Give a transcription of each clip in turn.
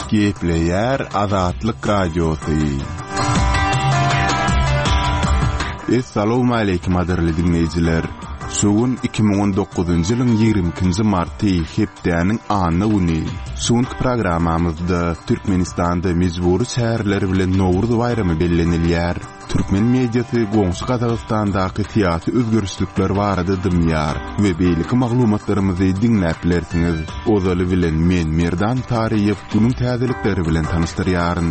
Gepleýär Azatlyk Radiosy. Essalawmaleýkim gadyrly diňleýjiler! Şu gün 2019-njy ýylyň 22-nji marty, hepdäniň anna güni. Şu günki programmamyzda Türkmenistanda mejbury çäreler bilen Nowruz baýramy bellenilýär. Türkmen mediasy goňşy Gazagystandaky syýasy özgerişlikler barada dymýar we beýleki maglumatlarymyzy diňläp bilersiňiz. Ozaly bilen men Merdan Saryýew günüň täzelikleri bilen tanyşdyrýaryn.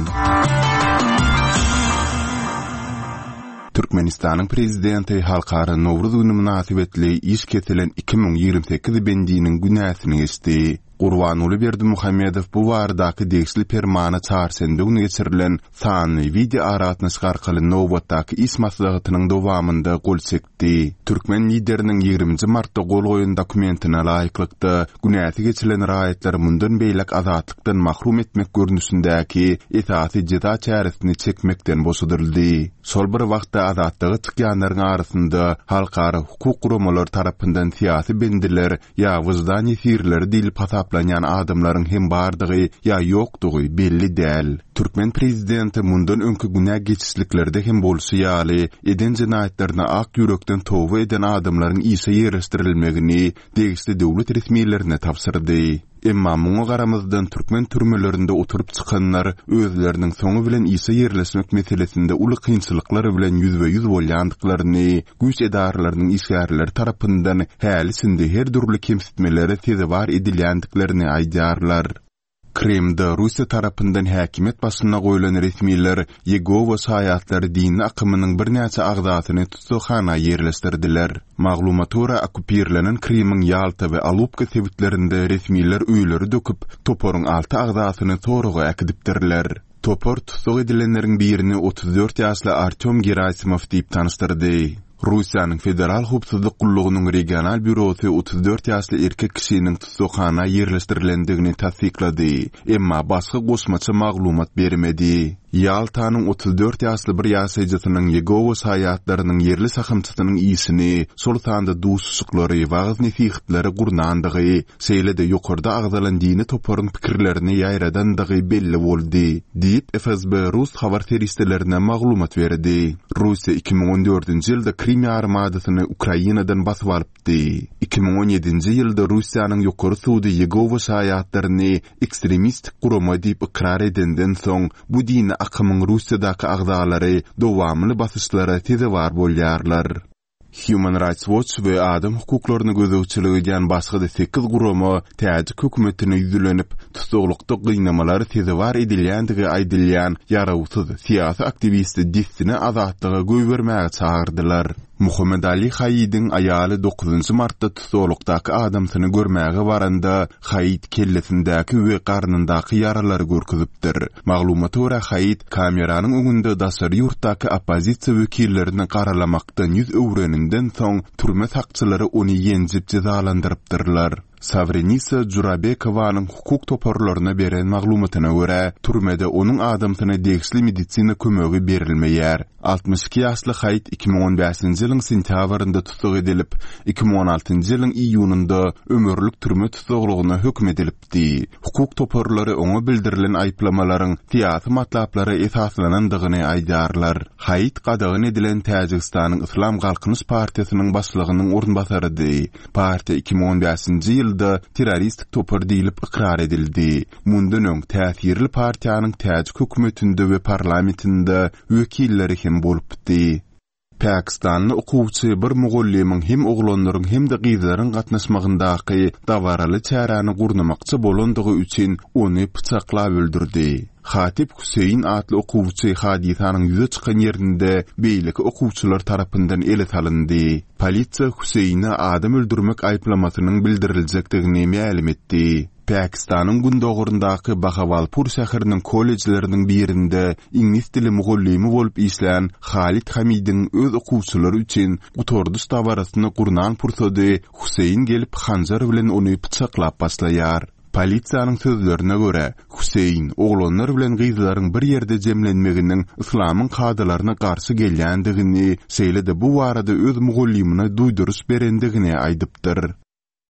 Türkmenistanyň Prezidenti Halkara Nowruz güni mynasybetli iş kesilen 2028 bendiniň günäsini geçdi. Gurbanguly Berdimuhamedow bu baradaky degişli permana çarşenbe güni geçirilen sanly wideoaragatnaşyk arkaly nobatdaky iş maslahatynyň dowamynda gol çekdi. Türkmen Lideriniň ýigriminji martda gol goýan dokumentine laýyklykda, günäsi geçilen raýatlary mundan beýläk azatlykdan mahrum etmek görnüşindäki esasy jeza çäresini çekmekden boşadyldy. Şol bir wagtda azatlyga çykýanlaryň arasynda halkara hukuk guramalary tarapyndan syýasy bendiler ýa wyždan ýesirleri diýlip hasaplanýan adamlaryň hem bardygy ýa ýokdugy belli däl. Türkmen prezidenti mundan öňki günä geçişliklerde hem bolşy ýaly, eden jenaýatlaryna ak ýürekden toba eden adamlaryň işe ýerleşdirilmegini degişli döwlet resmilerine tabşyrdy. Emma muňa garamazdan türkmen türmelerinde oturyp çykanlar özleriniň soňy bilen işe ýerleşmek meselesinde uly kynçylyklar bilen ýüzbe-ýüz bolýandyklaryny, güýç edaralarynyň işgärleri tarapyndan häli-şindi her dürli kemsitmelere sezewar edilýändiklerini aýdýarlar. Krymda Russiýa tarapyndan häkimiýet başyna goýlan resmiler Ýegowa şaýatlary dini akymynyň birnäçe agzasyny tussaghana ýerleşdirdiler. Maglumata görä, okkupirlenen Krymyň Ýalta we Alupka sebitlerinde resmiler öýleri döküp, toparyň alty agzasyny soraga äkidipdirler. Topar tussag edilenleriň birini 34 ýaşly Artýom Gerasimow diýip tanyşdyrdy. Russiýanyň Federal howpsuzlyk gullugynyň regional býurosy 34 ýaşly erkek kişiniň tussaghana ýerleşdirilendigini tassyklady, emma başga goşmaça maglumat bermedi. Ýaltanyň 34 ýaşly bir ýaşaýjysynyň Ýegowa şaýatlarynyň ýerli şahamçasynyň işini, şol sanda duşuşyklary, wagyz-nesihatlary gurnandygy, şeýle-de ýokarda agzalan dini toparyň pikirlerini ýaýradandygy belli boldy, diýip, FSB rus habar serişdelerine maglumat berdi. Russiýa 2014-nji ýylda Krym ýarymadasyny Ukrainadan basyp alypdy. 2017-nji ýylda Russiýanyň Ýokary sudy Ýegowa şaýatlaryny ekstremistik gurama diýip ykrar edenden soň, bu dini akymyň Russiýadaky agzalary dowamly basyşlara sezewar bolýarlar. Human Rights Watch we adam hukuklaryna gözegçilik edýän başga-da sekiz gurama täjik hökümetine ýüzlenip, tussaglykda gynamalara sezewar edilýändigi aýdylýan ýarawsyz syýasy aktiwisti dessine azatlyga goýbermäge çagyrdylar. Muhammedali Haidiň aýaly dokuzynjy martda tussaglykdaky adamsyny görmäge baranda, Haid kellesindäki we garnyndaky ýaralary görkezipdir. Maglumata görä, Haid kameranyň öňünde daşary ýurtdaky oppozisiýa wekillerini garalamakdan ýüz öwreninden soň, türme sakçylary ony ýenjip jezalandyrypdyrlar. Sawrenisa Jurabekowanyň hukuk toparlaryna beren maglumatyna görä, türmede onuň adamsyna degişli medisina kömegi berilmeýär. 62 ýaşly Haid 2015-nji ýylyň sentýabrynda tussag edilip, 2016-njy ýylyň iýunynda ömürlik türme tussaglygyna höküm edilipdi. Hukuk toparlary oňa bildirilen aýyplamalaryň syýasy matlaplara esaslanandygyny aýdýarlar. Haid gadagan edilen Täjigistanyň Yslam Galkynyş partiýasynyň başlygynyň orunbasarydy. Partiýa 2015-nji ýylda terroristik topar diýlip ykrar edildi. Mundan öň täsirli partiýanyň täjik hökümetinde we parlamentinde wekilleri hem bolupdy. Pakistanly okuwçy bir mugallymyň hem oglanlaryň hem-de gyzlaryň gatnaşmagyndaky dabaraly çäräni gurnamakçy bolandygy üçin ony pyçaklap öldürdi. Hatip Hüseýin atly okuwçy hadysanyň ýüze çykan ýerinde beýleki okuwçylar tarapyndan ele salyndy. Polisiýa Hüseýine adam öldürmek aýyplamasynyň bildiriljekdigini mälim etdi. Pakistanyň gündogaryndaky Bahawalpur şäheriniň kollejleriniň birinde iňlis dili mugallymy bolup işlän Halid Hamidiň öz okuwçylary üçin gutardyş dabarasyny gurnan pursady Huseýin gelip hanjar bilen ony pyçaklap başlaýar. Polisiýanyň sözlerine görä, Huseýin oglanlar bilen gyzlaryň bir ýerde jemlenmeginiň yslamyň kadalaryna garşy gelýändigini, şeýle-de bu barada öz mugallymyna duýduryş berendigini aýdypdyr.